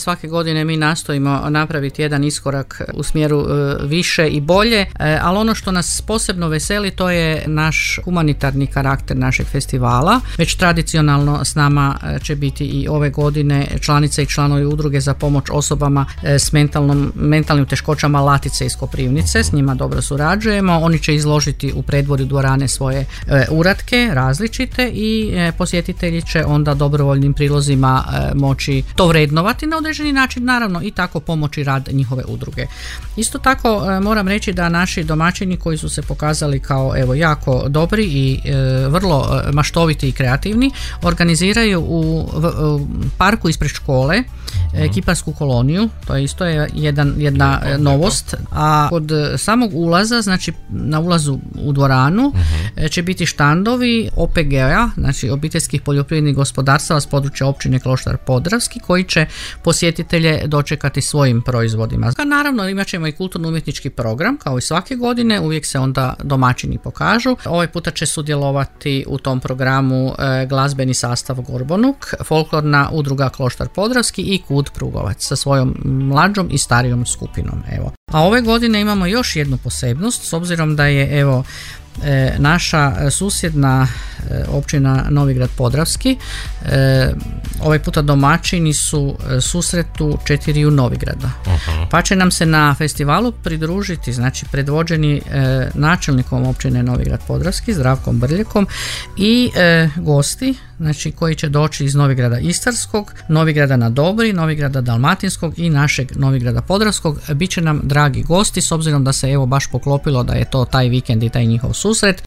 Svake godine mi nastojimo napraviti jedan iskorak u smjeru više i bolje, ali ono što nas posebno veseli to je naš humanitarni karakter našeg festivala. Već tradicionalno s nama će biti i ove godine članice i članovi udruge za pomoć osobama s mentalnim teškoćama Latice iz Koprivnice. S njima dobro surađujemo. Oni će izložiti u predvorju dvorane svoje uratke različite i posjetitelji će onda dobrovoljnim prilozima moći to vrednovati na određeni način, naravno i tako pomoći rad njihove udruge. Isto tako moram reći da naši domaćini koji su se pokazali kao jako dobri i vrlo maštoviti i kreativni organiziraju u parku ispred škole kiparsku koloniju. To je isto jedna novost. A kod samog ulaza, znači na ulazu u dvoranu će biti štandovi OPG-a, znači obiteljskih poljoprivrednih gospodarstava s područja općine Kloštar Podravski, koji će posjetitelje dočekati svojim proizvodima. Naravno imat ćemo i kulturno-umjetnički program kao i svake godine, uvijek se onda domaćini pokažu. Ovaj puta će sudjelovati u tom programu glazbeni sastav Gorbonuk, folklorna udruga Kloštar Podravski i KUD Prugovac sa svojom mlađom i starijom skupinom. A ove godine imamo još jednu posebnost, s obzirom da je naša susjedna općina Novigrad Podravski ovaj puta domaćini su susretu 4 Novigrada. Pa će nam se na festivalu pridružiti, znači predvođeni načelnikom općine Novigrad Podravski Zdravkom Brljekom i gosti, znači koji će doći iz Novigrada Istarskog, Novigrada na Dobri, Novigrada Dalmatinskog i našeg Novigrada Podravskog. Biće nam dragi gosti s obzirom da se baš poklopilo da je to taj vikend i taj njihov susret.